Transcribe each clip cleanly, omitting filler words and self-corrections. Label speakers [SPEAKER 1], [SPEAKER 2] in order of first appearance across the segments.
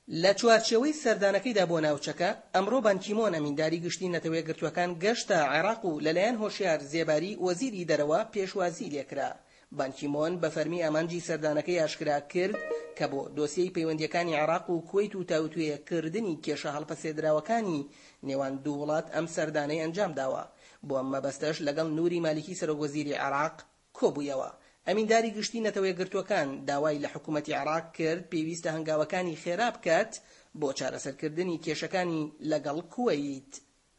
[SPEAKER 1] لە چوارچێوەی سەردانەکەیدا بۆ ناوچەکە، ئەمڕۆ بان کیمۆن ئەمینداری گشتی نەتەوەیەکگرتووەکان گەشتە عێراق و لەلایەن هۆشیار زێباری وەزیری دەرەوە پێشوازی لێکرا. بان کیمۆن بە فەرمی ئامانجی سەردانەکەی ئاشکرا کرد کە بۆ دۆسیەی پەیوەندییەکانی عێراق و کوەیت و تاوتوێ کردنی کێشە هەڵپەسێدراوەکانی نێوان دوو وڵات ئەم سەردانەی ئەنجامداوە. بۆ ئەم مەبەستەش لەگەڵ نوری مالیکی سەرۆکوەزیری عێراق کۆبوویەوە. ئەمینداری گشتی نەتەوەیەکگرتووەکان داوای لە حکومەتی عێراق کرد پێویستە هەنگاوەکانی خێرا بکات بۆ چارەسەرکردنی کێشەکانی لەگەڵ کوەیت،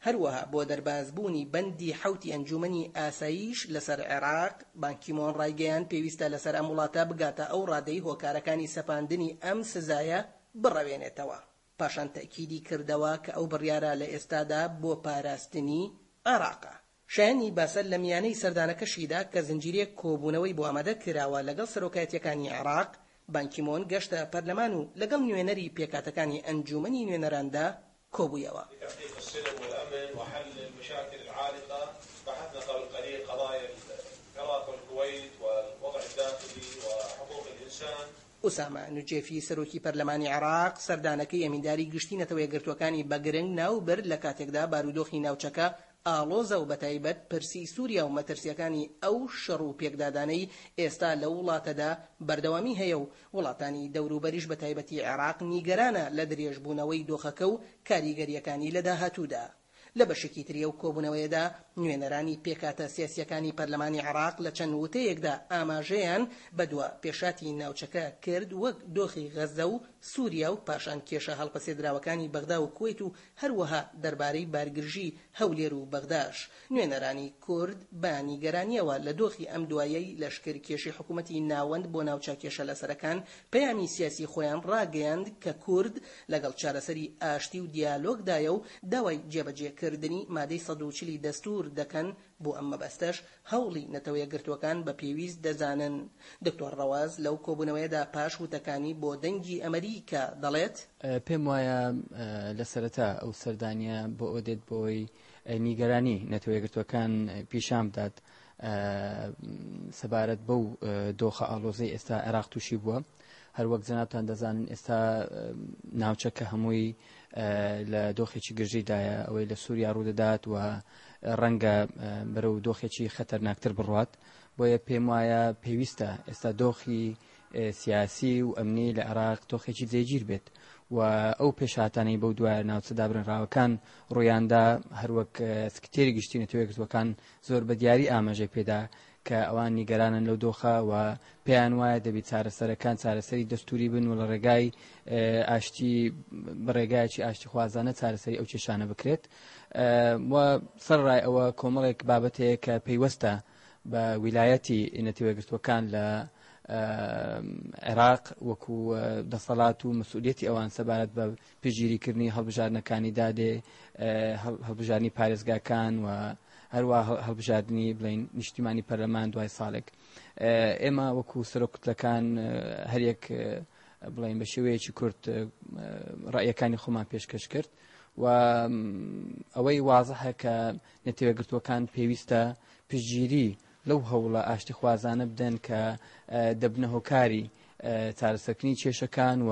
[SPEAKER 1] هەروەها بۆ دەربازبوونی بەندی حەوتی ئەنجوومەنی ئاسایش لەسەر عێراق، بان کیمۆن ڕایگەیاند پێویستە لەسەر ئەم وڵاتە بگاتە ئەو ڕادەی هۆکارەکانی سەپاندنی ئەم سزایە بڕەوێنێتەوە. پاشان تەئکیدی کردەوە کە ئەو بڕیارە لە ئێستادا بۆ پاراستنی عێراقە. شایەنی باسە لە میانەی سەردانەکەشیدا کە زنجیرەیەک کۆبوونەوەی بۆ ئامادە کراوە لەگەڵ سەرۆکایەتییەکانی عێراق، بان کیمۆن گەشتە پەرلەمان و لەگەڵ نوێنەری پێکهاتەکانی ئەنجوومەنی نوێنەراندا کۆبوویەوە.
[SPEAKER 2] لتحقیق السلم والامن وحل المشاکل العالقە بحثنا قبل قلیل قضایا العراق والکویت والوضع الداخلی وحقوق الانسان.
[SPEAKER 1] ئوسامە نوجێفی سەرۆکی پەرلەمانی عێراق سەردانەکەی ئەمینداری گشتی نەتەوەیەکگرتووەکانی بە گرنگ ناوبرد لە کاتێکدا بارودۆخی ناوچەکە ئاڵۆزە و بەتایبەت پرسی سوریا و مەترسییەکانی ئەو شەڕ و پێکدادانەی ئێستا لەو وڵاتەدا بەردەوامی هەیە و وڵاتانی دەوروبەریش بەتایبەتی عێراق نیگەرانە لە درێژبوونەوەی دۆخەکە و کاریگەرییەکانی لە داهاتوودا. لە بەشێکی تری ئەو کۆبوونەوەیەدا نوێنەرانی پێکهاتە سیاسییەکانی پەرلەمانی عێراق لە چەند وتەیەکدا ئاماژەیان بە دوا پێشهاتی ناوچەکە کرد وەک دۆخی غەززە و سوریا و پاشان کێشە هەڵپەسێدراوەکانی بەغدا و کوەیت و هەروەها دەربارەی بارگرژی هەولێر و بەغداش، نوێنەرانی کورد بە نیگەرانییەوە لە دۆخی ئەم دوایەی لەشکرکێشی حکومەتی ناوەند بۆ ناوچە کێشەلەسەرەکان پەیامی سیاسی خۆیان ڕاگەیاند کە کورد لەگەڵ چارەسەری ئاشتی و دیالۆگدایە و داوای جێبەجێکردنی مادەی 140 ی دەستوور دەکەن بۆ ئەم مەبەستەش هەوڵی نەتەوەیەکگرتووەکان بە پێویست دەزانن. دکتۆر ڕەواز لەو کۆبوونەوەیەدا پاش وتەکانی بۆ دەنگی ئەمەریکا دەڵێت.
[SPEAKER 3] پێم وایە لە سەرەتا ئەو سەردانییە بۆ ئەوە دێت بۆ ئەوەی نیگەرانی نەتەوەیەکگرتووەکان پیشان بدات سەبارەت بەو دۆخە ئاڵۆزەی ئێستا عێراق تووشی بووە. هەروەک جەنابتان دەزانن ئێستا ناوچەکە هەمووی لە دۆخێکی گرژیدایە ئەوەی لە سووریا ڕوودەدات و ڕەنگە بەرەو دۆخێکی خەتەرناکتر بڕوات بۆیە پێم وایە پێویستە ئێستا دۆخی سیاسی و ئەمنی لە عێراق دۆخێکی جێگیر بێت و ئەو پێشهاتانەی بەو دوایە ناوچە دابرنراوەکان ڕوویاندا هەروەک سکتێری گشتی نەتەوەیەکگرتووەکان زۆر بە دیاری ئاماژەی پێدا کە ئەوان نیگەرانن لەو دۆخە و پێیان وایە دەبی چارەسەرەکان چارەسەری دەستوری بن و لە ڕێگای ئاشتی بە ڕێگایەکی ئاشتیخوازانە چارەسەری ئەو کێشانە بکرێت و سەرڕای ئەوە کۆمەڵێک بابەت هەیە کە پەیوەستە بە ویلایەتی نەتەوەیەکگرتووەکان لە عێراق وەکو دەسەڵات و مەسئولیەتی ئەوان سەبارەت بە پشتگیریکردنی هەڵبژاردنەکانی دادێ هەڵبژاردنی پارێزگاکان و هەروە هەڵبژاردنی بڵین نیشتیمانی پەرلەمان دوای ساڵێک ئێمە وەکو سەرۆک کوتلەکان هەریەک بڵین بە شێوەیەکی کورت ڕەیەکانی خۆمان پێشکەش کرد و ئەوەی وازحە کە نەتەوەگرتووەکان پێویستە پشتگیری لەو هەوڵە ئاشتیخوازانە بدەن کە دەبنە هۆکاری چارەسەرکردنی کێشەکان و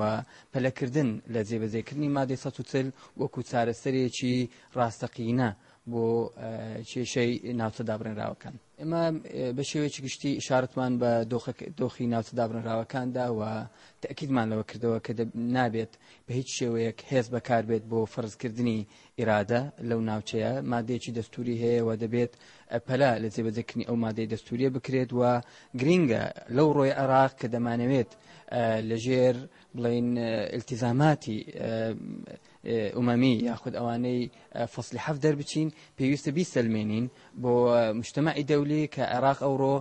[SPEAKER 3] پەلەکردن لە جێبەجێکردنی مادەی 140 وەکو چارەسەرێکی ڕاستەقینە بۆ کێشەی ناوچە دابڕێنراوەکان. ئێمە بە شێوەیەکی گشتی ئیشارەتمان بە دۆخی ناوچە دابڕێنراوەکاندا و تەئکیدمان لەوە کردەوە کە نابێت بە هیچ شێوەیەک هێز بەکاربێت بۆ فەرزکردنی ئیرادە لەو ناوچەیە، مادەیەکی دەستووری هەیە و دەبێت پەلە لە جێبەجێکردنی ئەو مادەی دەستووریە بکرێت و گرینگە لەو ڕۆی عێراق کە دەمانەوێت لەژێر بڵین ئیلتیزاماتی ئومەمی یاخود ئەوانەی فەصلی حەفت دەربچین پێویستە بیسەلمێنین بۆ مجتەمەعی دەولی کە عێراق ئەوڕۆ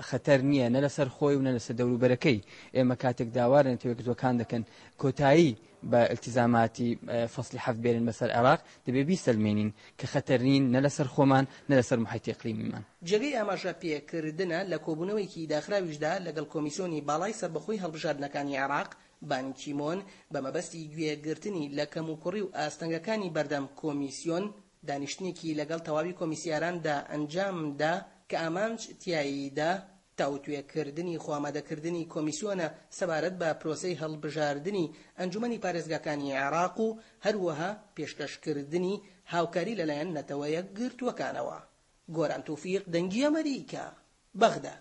[SPEAKER 3] خەتەر نییە نە لەسەر خۆی و نە لەسەر دەوروبەرەکەی ئێمە کاتێک داوا لە نەتەوەیەکگرتووەکان دەکەن کۆتایی بە ئیلتیزاماتی فەصلی حەفت بێنن بەسەر عێراق دەبێ بیسەلمێنین کە خەتەر نین نە لەسەر خۆمان نە لەسەر محیطی ئیقلیمیمان.
[SPEAKER 1] جێگەی ئاماژە پێکردنە لە کۆبوونەوەیەکی داخراویشدا لەگەڵ کۆمیسیۆنی باڵای سەربەخۆی هەڵبژاردنەکانی عێراق، بان کیمۆن، بە مەبەستی گوێ گرتنی لە کەموکوڕی و ئاستەنگەکانی بەردەم کۆمیسیۆن، دانیشتنێکی لەگەڵ تەواوی کۆمیسیاراندا ئەنجام دا کە ئامانج تیایدا. تاوتوێکردنی خۆئامادەکردنی کۆمیسیۆنە سەبارەت بە پرۆسەی هەڵبژاردنی ئەنجومەنی پارێزگاکانی عێراق و هەروەها پێشکەشکردنی هاوکاری لەلایەن نەتەوە یەکگرتووەکانەوە. گۆران تۆفیق، دەنگی ئەمەریکا، بەغدا.